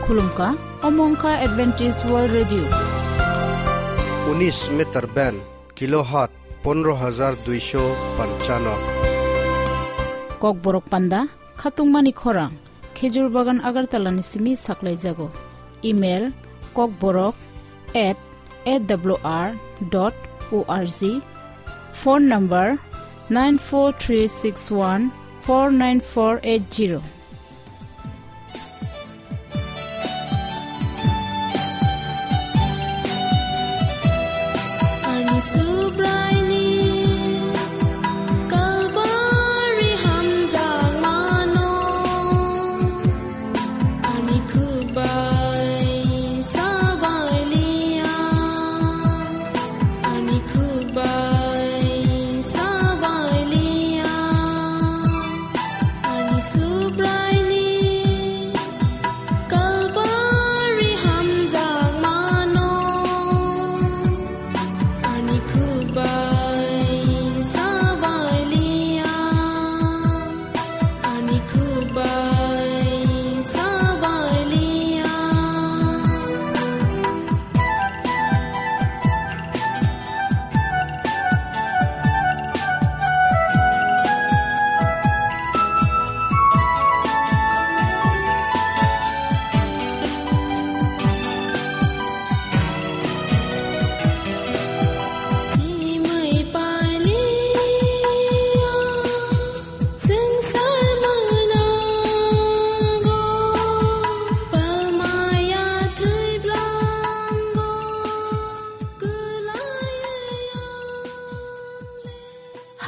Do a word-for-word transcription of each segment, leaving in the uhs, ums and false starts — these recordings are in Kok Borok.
Khulumkha, omo wngkha Adventist World Radio. Unis meter band, kilohertz pondro hajar duisho panchano. Kokborok panda, khatungmani khorang, Khejur Bagan Agartala ni simi saklaijago. Email, kokborok at A W R dot O R G. Phone number, nine four three six one four nine four eight zero. Ani Subraini Kalbari hamjakmano, ani khukbai sabai liya, ani khukbai sabai liya, ani Subraini Kalbari hamjakmano, ani khukbai sabai liya, ani khukbai sabai liya.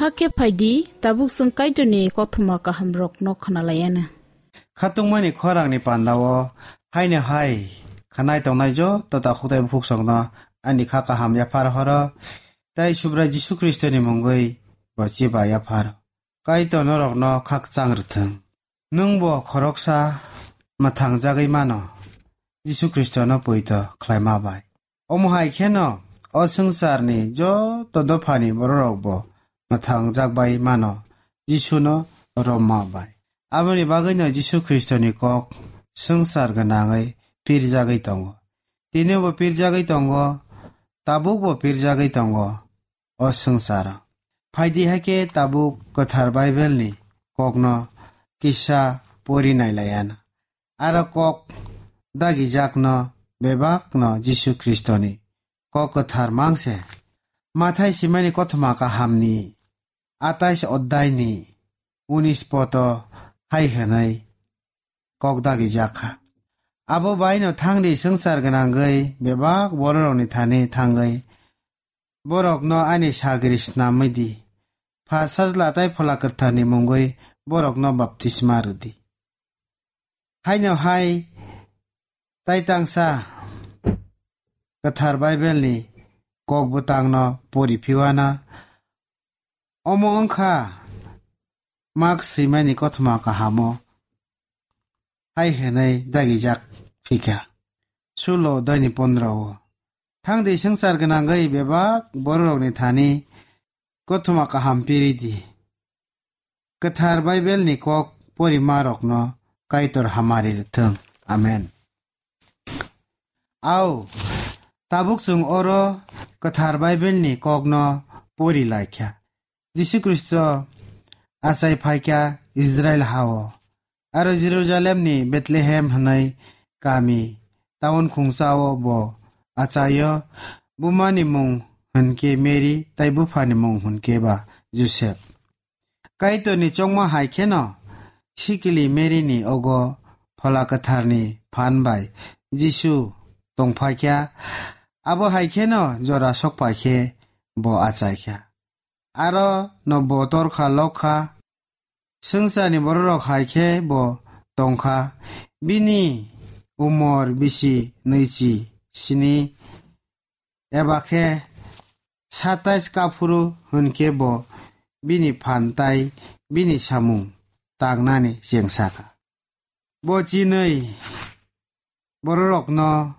Hakhe phaidi, tabuk chwng Kaitorni kothoma kahamrokno khwnalaiana. Khatungmani khorangni pandao haino hai khwnai tongnai joto takhuk tei buphuksongno ani kha kaham yaphar horo, tei Subrai Jisu Khristoni mungwi bo chiba yaphar. Kaitor norokno khakchang rwthwng. Nwngbo khoroksa mwthangjagwi mano, Jisu Khristono poito khlaima bai. Omo hai kheno o swngcharni joto dophani bororokbo mwthangjak bai mano, Jisuno romma bai. Aboni bagwino Jisu Khristoni kok swngchar gwnangwi pirjagwi tongo. Tinibo pirjagwi tongo, tabukbo pirjagwi tongo o swngcharo. Phaidi hai khe tabuk Kwthar Baibelni kokno kisa pori nailaiana. Aro kok dagijakno bebakno Jisu Khristoni kok kwthar mangse. Mathai simani kothoma kahamni atais oddaini unis poto hai hwnwi kok dagijak kha. Abo baino thangdi swngchar gwnangwi bebak bororokni thani thangwi borokno ani sagri snamwi di. Pha Sajla tei Phola Kwtharni mungwi borokno baptisma rwdi. Haino hai tai tangsa Kwthar Baibelni kok bwtangno pori phiwana. Omo wngkha mak swimani kothoma kahamo hai hwnwi dagijak phikha. Sulo daini pondro o. Thangdi swngchar gwnangwi bebak bororokni thani kothoma kaham piri di. Kwthar Baibelni kok porimarokno Kaitor hamari rwthwng. Amen. Au, tabuk chwng oro Kwthar Baibelni kokno pori laikha. Jisu Khristo achai phaikha Israil hao. Aro Jerusalemni Bethlehem hwnwi kami, taun khungsao bo achaio, bumani mung hwnkhe Mary, tei buphani mung hwnkhe ba Joseph. Kaitorni chongma hai kheno sikili Maryni ogo Phola Kwtharni phan bai Jisu tongphaikha, abo hai kheno jora sokpaikhe bo achaikha. Aro no bo torkha lokha, swngcharni bororok hai khe bo tongkha. Bini umor bisi nwichi sini eba khe satais kaphuru hwnkhe bo bini phan tai bini samung tangnani chengsa kha. Bo chinwi bororokno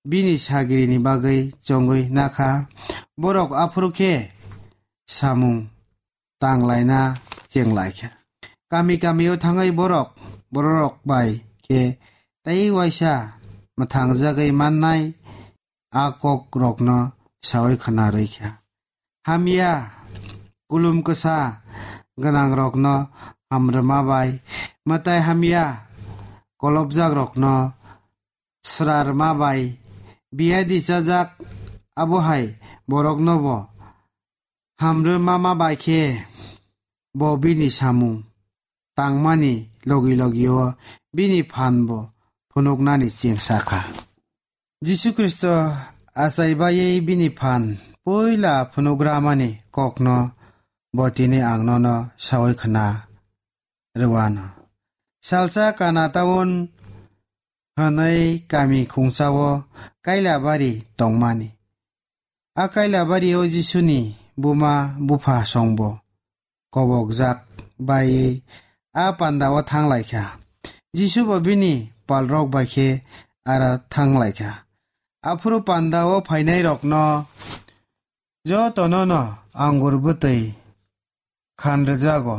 bini sagrini bagwi chongwi nakha. Borok aphuru khe samung tanglaina chenglaikha. Kami kamio thangwi borok, bororok bai khe tei waisa mwthangjagwi mannai a kokrokno saui khna rwkha. Hamya kulum kwsa gwnangrokno hamrwma bai, mwtai hamya kolopjakrokno srarma bai, biyadi chajak abohai boroknobo hamrwma ma bai khe bo bini samung tangmani logi logi-o bini phan bo phunuknani chengsa kha. Jisu Khristo achai baiwi bini phan puila phunukramani kokno bo tini ang nono saui khna rwano. Salsa Kana taun hwnwi kami khungsa-o Kailabari tongmani. A Kailabari-o Jisuni buma bupha songbo kobokjak bai a panda-o thang lai kha. Jisu bo bini palrok bai khe aro thang lai kha. Aphuru panda-o phainairokno jotono no angur bwtwi khan rwjago.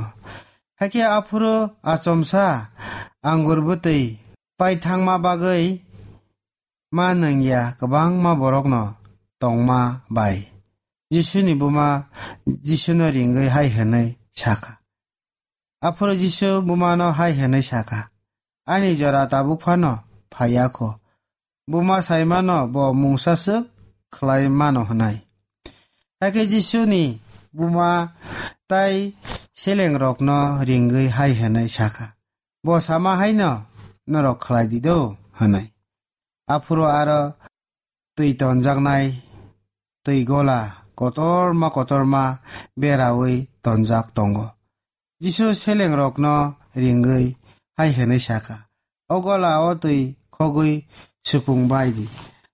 Hakhe aphuru achomsa angur bwtwi paithangma bagwi ma nungya kwbangma borokno tongma bai. Jisuni buma Jisuno ringwi hai hwnwi sakha. Aphuru Jisu bumano hai hwnwi sakha, "Ani jora tabuk phano phaiya kho. Buma saimano bo mungsa swk khlai mano," hwnwi. Hakhe Jisuni buma tai selengrokno ringwi hai hwnwi sakha, "Bo sama haino norok khlai di do," hwnwi. Aphuru aro twi tonjaknai twi gola kotorma kotorma beraui tonjak tongo. Jisu selengrokno ringwi hai hwnwi sakha, "O gola-o twi khogwi supung bai di."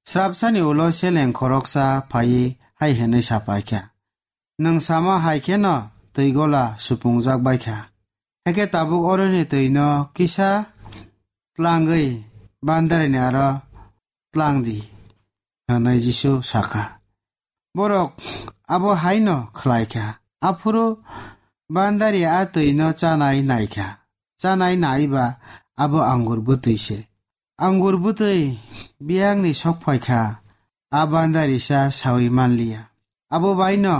Srapsani ulo seleng khoroksa phaiwi hai hwnwi sapaikha, "Nwng sama hai kheno twi gola supungjak bai kha. Hakhe tabuk oroni twino kisa tlangwi bandarini aro tlang di," hwnwi Jisu sakha. Borok abo haino khlai kha. Aphuru bandari a twino chanai nai kha. Chanai nai ba abo angur bwtwi se. Angur bwtwi biyangni sok phai kha, a bandarisa saui man liya. Abo baino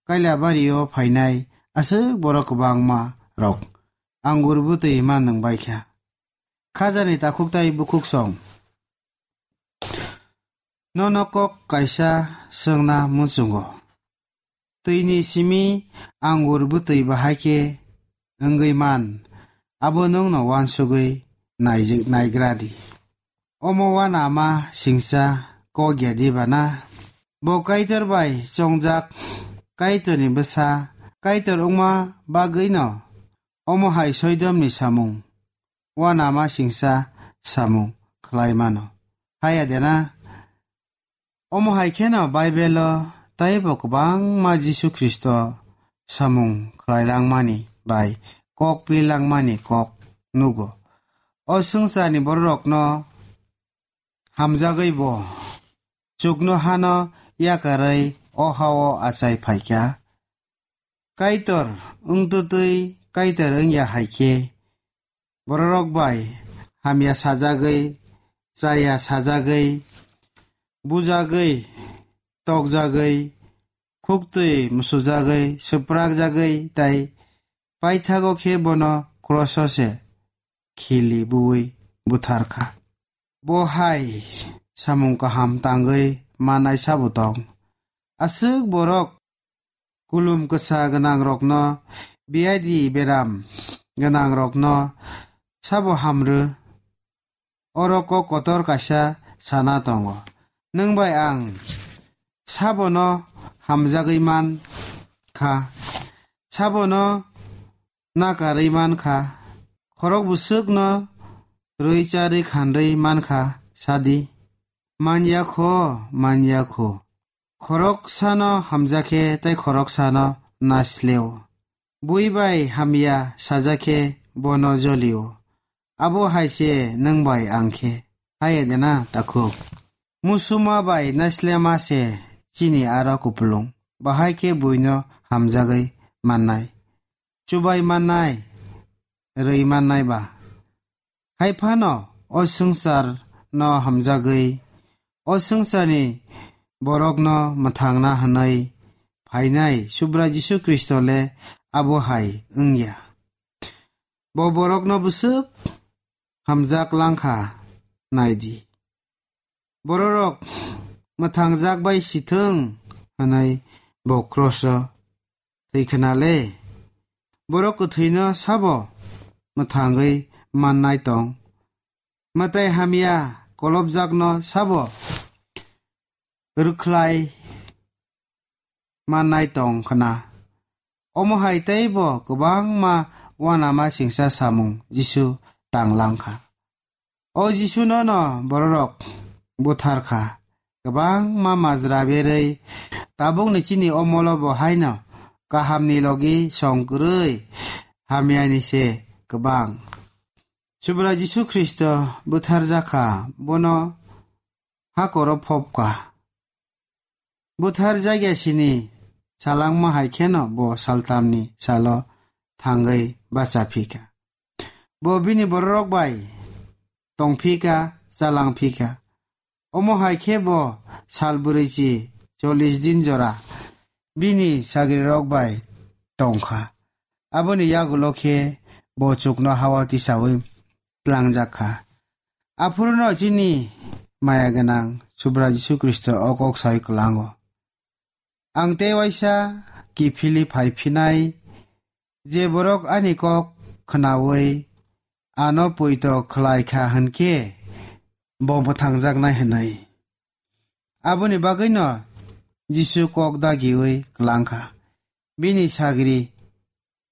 Kailabari-o phainai aswk borok kwbangma rok angur bwtwi man nung bai kha. Khajani takhuk tai bukhuk song. Nono kok kaisa swngna muchungo. Twini simi angur bwtwi bahai khe wngwi man, abo nwngno uansugwi naijak-, naigra di. Omo uanama singsa kok ya diba na? Bo Kaitor bai chongjak, Kaitorni bwsa, Kaitor wngma bagwino omo hai soidomni samung uanama singsa samung khlai mano. Haya de na? Omo hai kheno Baibelo taibo kwbangma Jisu Khristo samung khlai langmani bai kok pi langmani kok nugo. O swngcharni bororokno hamjagwi bo chuknohano yakarwi o ha-o achai phaikha. Kaitor wngtwtwi Kaitor wngya hai khe, bororok bai hamya sajagwi, chaya sajagwi, bujagwi, tokjagwi, khuktwi musujagwi, swprakjagwi, tai paithago khe bono kroso se khili buwi buthar kha. Bo hai samung kaham tangwi manai sabo tong. Aswk borok kulum kwsa gwnangrokno, biyadi beram gwnangrokno sabo hamrw. Oro kok kotor kaisa sana tongo. Nwng bai ang sabono hamjagwi man kha, sabono nakarwi man kha, khorok bwswkno rwi charwi khanrwi man kha, sadi. Manya kho, manya kho. Khoroksano hamjakhe tei khoroksano nasleo. Bui bai hamya sajakhe bono jolio. Abo hai se nwng bai ang khe. Haya de na, takhuk? Musuma bai naslema se chini aro kupulung. Bahai khe buino hamjagwi mannai, chubai mannai, rwi mannai ba. Hai phano o swngcharno hamjagwi, o swngcharni borokno mwthangna hwnwi phainai Subrai Jisu Khristo le abo hai wng ya. Bo borokno bwswk hamjak lang kha, nai di. Bororok mwthangjak bai si thung hwnwi bo kroso thwi khna le. Borok kwthwino sabo mwthangwi mannai tong? Mwtai hamya kolopjakno sabo rwkhlai mannai tong khna? Omo hai tei bo kwbangma uanama singcha samung Jisu tang lang kha. O Jisuno no bororok buthar kha, kwbangma majra berwi tabukni chini omolo bo haino kahamni logi song kwrwi hamyani se kwbang. Subrai Jisu Khristo butharjak kha, bono hakoro phop kha. Buthar jakya sini salangma hai kheno bo saltamni salo thangwi bacha phi kha. Bo bini bororok bai tong phi kha, chalang phi kha. Omo hai khe bo sal bwrwichi chollish din jora bini sagrirok bai tong kha. Aboni yagulo khe bo chukno hao tisaui tlangjak kha. Aphuruno chini maya gwnang Subrai Jisu Khristo o kok sai kwlango. Ang tei waisa kiphilwi phai phinai, je borok ani kok khnaui ano poito khlai kha hwn khe bo mwthangjaknai hwnwi. Aboni bagwino Jisu kok dagiui kwlang kha bini sagri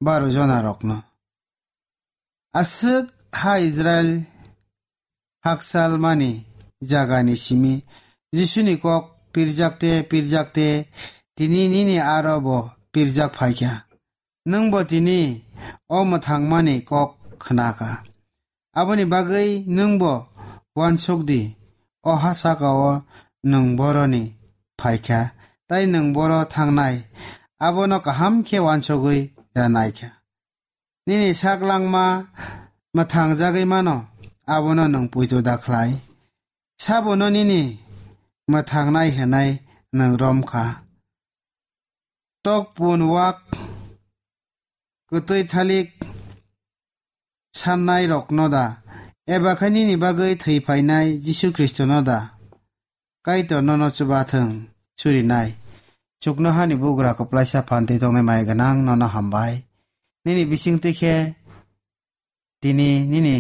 baro jonarokno. Aswk ha Israil hakchalmani jagani simi Jisuni kok pirjakte pirjakte tini nini aro bo pirjak phaikha. Nwng bo tini o mwthangmani kok khnakha. Aboni bagwi nwng bo uansuk di, o ha saka-o nwng boroni phaikha, tei nwng boro thangnai, abono kaham khe uansugwi da naikha. Nini sak langma mwthang jagwi mano, abono nwng poito da khlai. Sabono nini mwthangnai hwnwi nwng rom kha. Tok pun wak kwtwi thalik sannai rokno da, eba khe nini bagwi thwi phainai Jisu Khristono da? Kaitor nono chuba thung, surinai. Chuknohani bugra kwplaisa phan twi tongnai maya gwnang nono hambai. Nini bisingtwi khe tini nini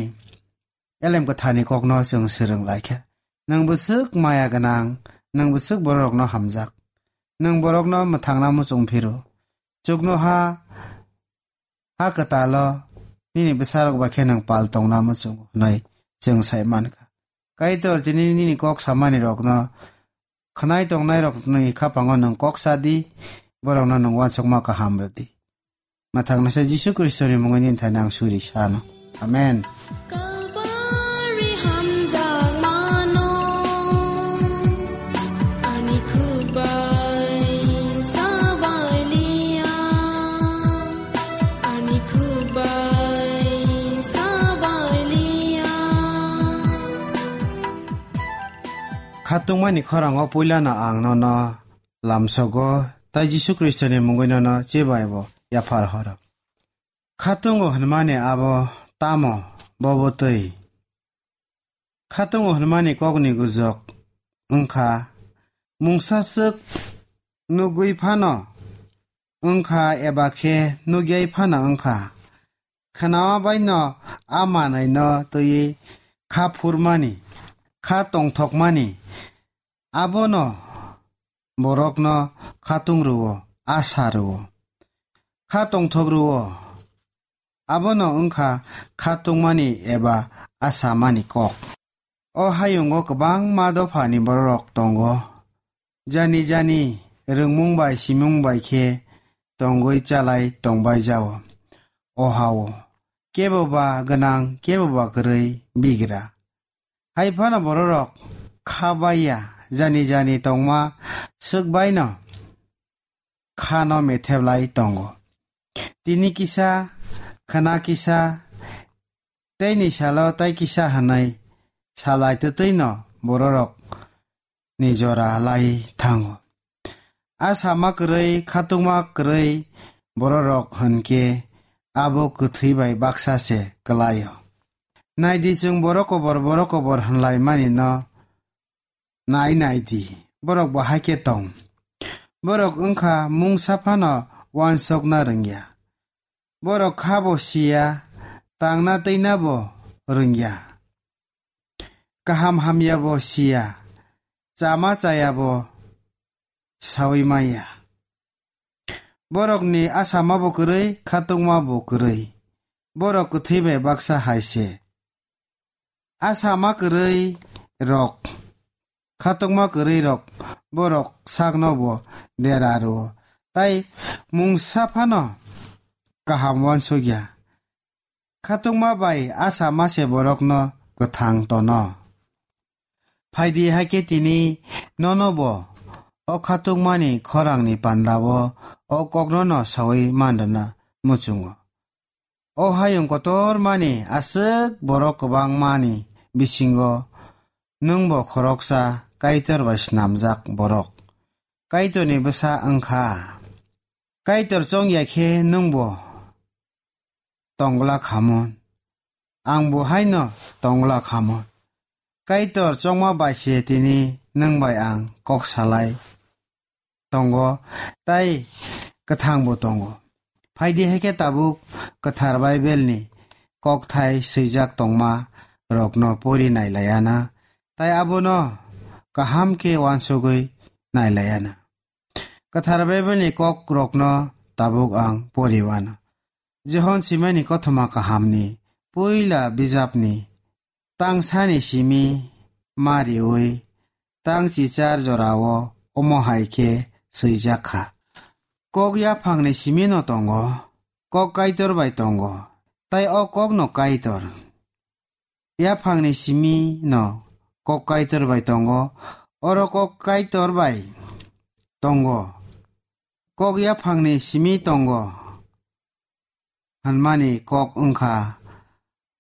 elem kwthani kokno chwng swrwng lai kha. Nwng bwswk maya gwnang, nwng bwswk bororokno hamjak. Nwng borokno mwthangna muchung phiro. Chuknoha ha kwtalo nini bwsarok bai khe nwng pal tongna muchungo hwnwi chwng sai man kha. Kaitor tini nini kok samani rokno khnai tongnai rokni khapango nwng kok sa di, borokno nwng uansukma kaham rw di. Mwthangnaisa Jisu Khristoni mungwi nini thani ang suri sano. Amen. Kalbari hamjakmano ani khuk bai sabai liya, ani khuk bai sabai liya. Khatungmani khorango puilano ang nono lamsogo, tai Jisu Khristoni mungwi nono chebaibo yaphar horo. Khatungo hwnmani abo tamo? Bobo twi. Khatungo hwnmani kokni gujok wngkha, mungsa swk nugwi phano wngkha eba khe nugyai phano wngkha. Khnawa baino a manwino twiwi kha phurmani, kha tongthokmani, abono borokno khatung rwo, asa rwo, kha tongthok rwo. Abono wngkha khatungmani eba asamani kok. O hayungo kwbangma dophani bororok tongo. Jani jani rwngmung bai simung bai khe tongwi chalai tongbai jao. O hao kebo ba gwnang, kebo ba kwrwi bigra. Hai phano bororok kha baiya, jani jani tongma swk baino khano metheblai tongo. Tini kisa, khna kisa, teini salo tai kisa hwnwi salai twtwino bororok ni jora lai thango. A sama kwrwi, khatungma kwrwi bororok hwnkhe abo kwthwi bai baksa se kwlaio. Naidi, chwng borok kobor, borok kobor hwnlaimani no nai naidi, borok bo hai khe tong. Borok wngkha mungsa phano uansukna rwngya. Borok kha bo siya, tangna twina bo rwngya. Kaham hamya bo siya, chama chaya bo saui maya. Borokni asama bo kwrwi, khatungma bo kwrwi. Borok kwthwi bai baksa hai se. Asama kwrwi rok, khatungma kwrwi rok, borok sakno bo dera rwo, tai mungsa phano kaham uansukya. Khatungma bai asama se borokno kwthang tono. Phaidi, hakhe tini nono bo o khatungmani khorangni pandao o kokno no saui manrwna muchungo. O hayung kotormani aswk borok kwbangmani bisingo nwng bo khoroksa Kaitor bai snamjak borok. Kaitorni bwsa wngkha. Kaitor chongya khe nwng bo tongla khamon, ang bo haino tongla khamon. Kaitor chongma bai se tini nwng bai ang kok salai tongo, tai kwthang bo tongo. Phaidi, hakhe tabuk kwthar Bible ni kokthai swijak tongma rokno pori nai laiya na, tai abono kaham khe uansugwi nai laiya na. Kwthar Bible ni kok rokno tabuk ang pori uano. Johon Simani Kothoma Kahamni puila bijapni tangsani simi ma riui tang chichar jorao omo hai khe swijak kha. Kok yaphangni simi no tongo, kok Kaitor bai tongo, tai o kok no Kaitor. Yaphangni simi no kok Kaitor bai tongo, oro kok Kaitor bai tongo. Kok yaphangni simi tongo hwnmani kok wngkha,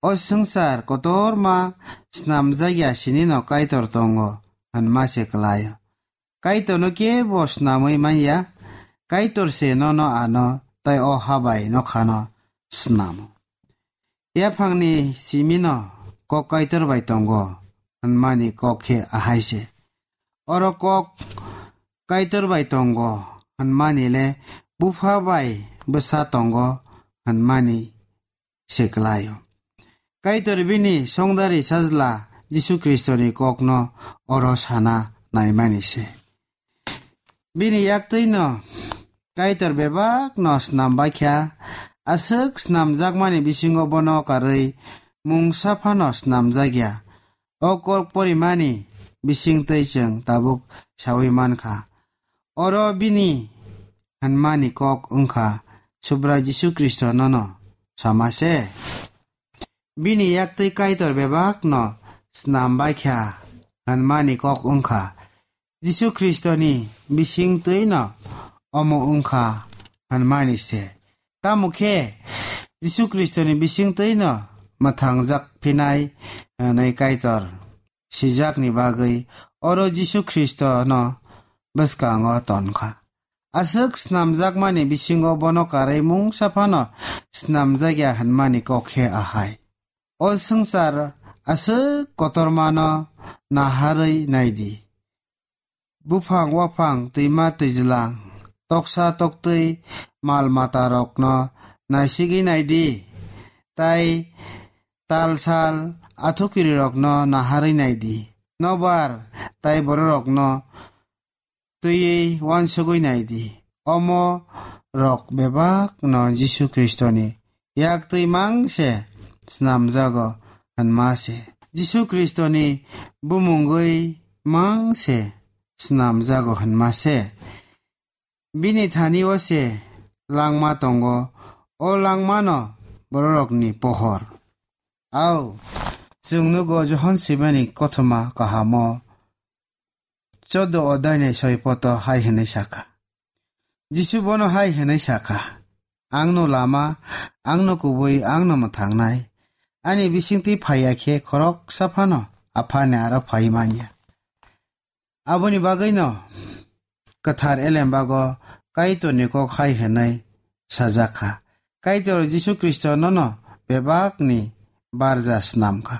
o swngchar kotorma snamjakya sinino Kaitor tongo hwnma se kwlaio. Kaitorno kebo snamwi manya, Kaitor se nono ano tai o ha bai nokhano snamo. Yaphangni simino kok Kaitor bai tongo hwnmani kok khe ahai se. Oro kok Kaitor bai tongo hwnmani le bupha bai bwsa tongo hwnmani se kwlaio. Kaitor bini songdari sajla Jisu Khristoni kokno oro sana naimani se. Bini yaktwino Kaitor bebakno snam baikha, aswk snamjakmani bisingo bono karwi mungsa phano snamjakya. O kok porimani bisingtwi chwng tabuk saui mankha. Oro bini hwnmani kok wngkha, Subrai Jisu Khristo nono sama se. Bini yaktwi Kaitor bebakno snam baikha hwnmani kok wngkha, Jisu Khristoni bisingtwino omo wngkha hwnmani se. Tamo khe Jisu Khristoni bisingtwino mwthangjak phinai hwnwi Kaitor sijakni bagwi oro Jisu Khristono bwskango tonkha. Aswk snamjakmani bisingo bono karwi mungsa phano snamjakya hwnmani kok khe ahai. O swngchar aswk kotormano naharwi naidi. Buphang waphang, twima twijlang, toksa toktwi, mal matarokno naisigwi naidi, tai tal sal athukirirokno naharwi naidi. Nobar tai bororokno twiwi uansugwi naidi. Omo rok bebakno Jisu Khristoni yaktwi mang se snamjago hwnma se. Jisu Khristoni bumungwi mang se snamjago hwnma se. Bini thani o se langma tongo, o langmano bororokni pohor. Au, chwng nugo Johon Sibani kothoma kahamo choddo odai ni soi poto hai hwnwi sakha. Jisu bono hai hwnwi sakha, "Angno lama, angno kubui, angno mwthangnai. Ani bisingtwi phaiya khe khoroksa phano Aphani aro phai manya. Aboni bagwino kwthar elembago Kaitorni kok hai hwnwi sajak kha. Kaitor Jisu Khristo nono bebakni barja snam kha.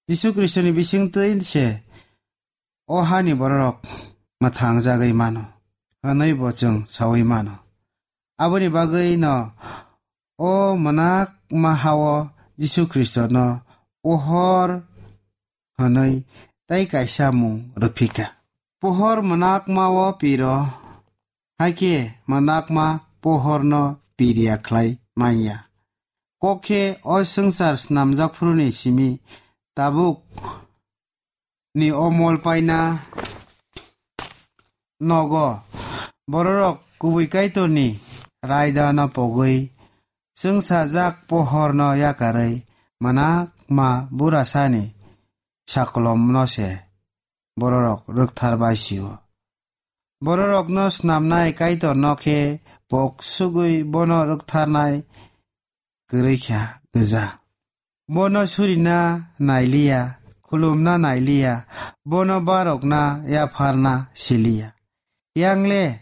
Jisu Khristoni bisingtwi se o hani bororok mwthang jagwi mano, hwnwi bo chwng saui mano. Aboni bagwi no o mwnakma hao Jisu Khristono pohor hwnwi tei kaisa mung rwphikha. Pohor mwnakmao piro, hakhe mwnakma pohorno piriya khlai manya. Kok khe o swngchar snamjak phuruni simi tabuk ni omol paina nogo bororok kubui Kaitorni raidano pogwi chwngsajak pohorno yakarwi mwnakma burasani saklomno se bororok rwkthar bai sio. Bororokno snamnai Kaitorno khe pok sugwi bono rwktharnai kwrwi kha gwja. Bono surina nailiya, khulumna nailiya, bono barokna yapharna siliya. Yangle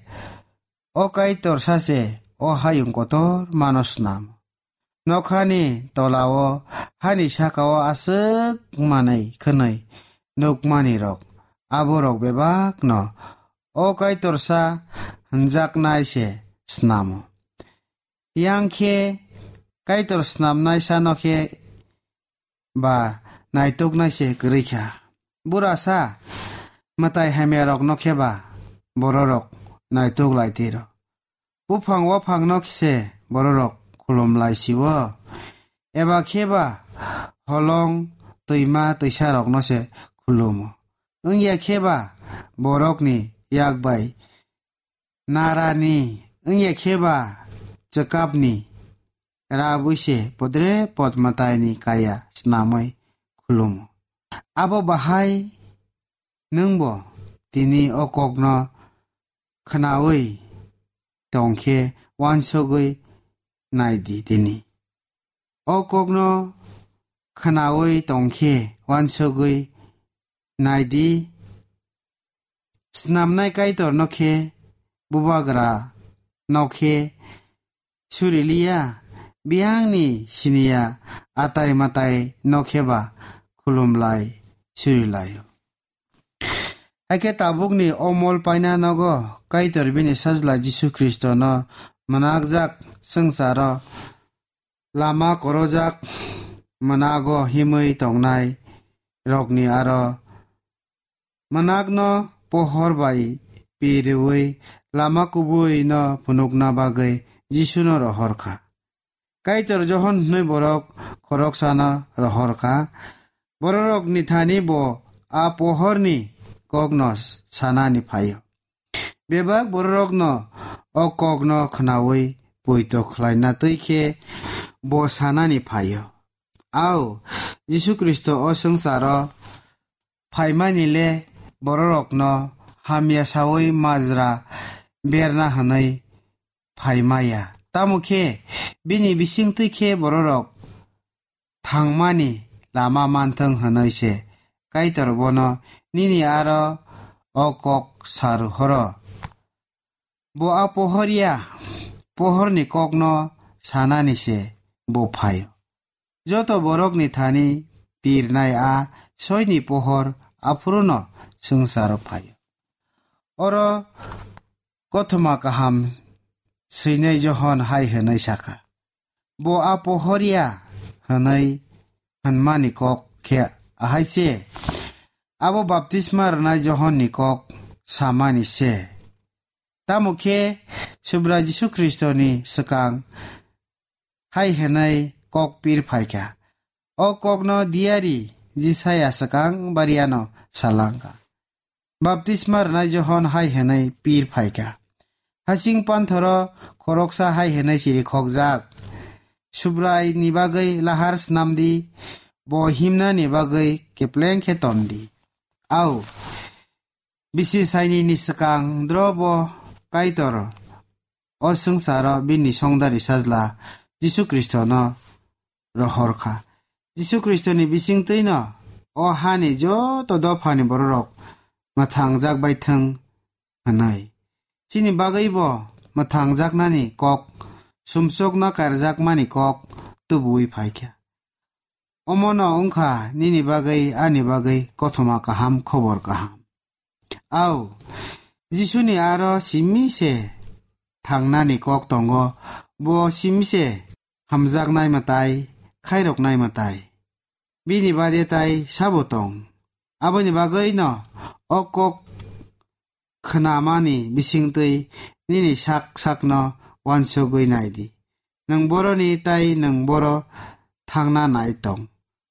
o Kaitor sache o hayung kotor mano snam. Nokhani tolao hani sakao aswk manwi khwnwi nukmani rok, aborok bebakno o Kaitorsa hwnjaknai se snamo. Yang khe Kaitor snamnai sano khe ba naituknai se kwrwi kha. Burasa mwtai hamya rokno khe ba bororok naituk lai tiro. Buphang waphangno se bororok khulum lai sio. Eba khe ba holong twima twisa rokno se khulumo. Wngya khe ba borokni yak bai narani, wngya khe ba chwkapni rabwi se podre pod mwtaini kaya snamwi khulumo. Abo bahai nwngbo tini o kokno khnaui tongkhe uansugui naidi tini. O kokno khnaui tongkhe uansugui naidi. Snamnai Kaitorno khe bubagra no khe suriliya, biyangni siniya atai matai no khe ba khulumlai surilaio. Hakhe tabukni o mol paina nogo Kaitor bini sajla Jisu Khristono mwnakjak swngcharo lama korojak mwnago himwi tongnai rokni aro mwnakno pohor bai piriui lama kubui no phunukna bagwi Jisuno rohor kha. Kaitor Johon hwnwi borok khoroksano rohor kha. Bororokni thani bo a pohorni kokno sanani phaio. Bebak bororokno o kokno khnaui poito khlaina twi khe bo sanani phaio. Ao, Jisu Khristo o swngcharo phaimani le bororokno hamya saui majra berna hwnwi phaimaya. Tamo khe bini bisingtwi khe bororok thangmani lama manthwng hwnwi se Kaitor bono nini aro o kok sa rohoro. Bo a pohor ya, pohorni kokno sanani se bo phaio. Joto borokni thani pirnai a soini pohor aphuruno swngcharo phaio. Oro kothoma kaham swinai Johon hai hwnwi sakha, bo a pohor ya hwnwi hwnmani kok khe ahai se, abo baptisma rwnai Johonni kok samani se. Tamo khe Subrai Jisu Khristoni swkang hai hwnwi kok pir phaikha. O kokno diyari Jisaya swkang bariano salangkha. Baptisma rwnai Johon hai hwnwi pir phaikha. Hasing panthoro khoroksa hai hwnwi chirikhokjak, Subraini bagwi lahar snamdi, bo himnani bagwi kepleng khe tondi. Au, bisi sainini swkang drobo Kaitor o swngcharo bini songdari sajla Jisu Khristono rohor kha. Jisu Khristoni bisingtwino o hani joto dophani bororok mwthangjak bai thung hwnwi. Chini bagwi bo mwthangjaknani kok, sumsokno karjakmani kok tubuwi phaikha. Omono wngkha nini bagwi, ani bagwi kothoma kaham, khobor kaham. Au, Jisuni aro simi se thangnani kok tongo, bo simi se hamjaknai mwtai, khairoknai mwtai. Bini bade tai sabo tong? Aboni bagwino o kok khnamani bisingtwi nini sak sakno uansugwi nai di. Nwng boroni tai nwng boro thangna nai tong.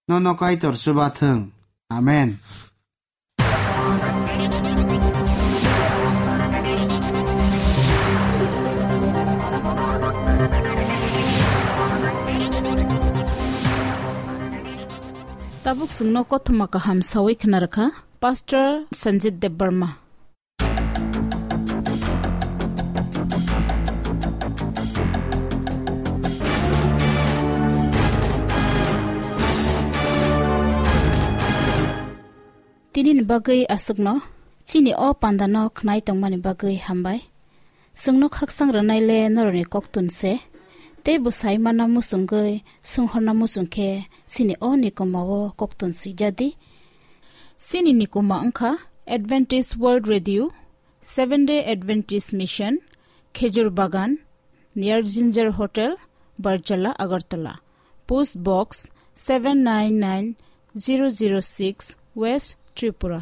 Nono Kaitor chuba thung. Amen. Tabuk chwngno kothoma kaham sawi khna rwkha Pastor Sanjit Debbarma. Tinini bagwi aswkno, chini o pandano khnai tongmani bagwi hambai. Chwngno khaksang rwnai le norokni koktun se, tei bwsai mana muchungwi, swnghorna muchung khe chini o nikomao koktun swijadi. Chini nikoma wngkha Adventist World Radio, Seventh Day Adventist Mission, Khejur Bagan, near Ginger Hotel, Barjala, Agartala. Post Box seven nine nine zero zero six, West Tripura.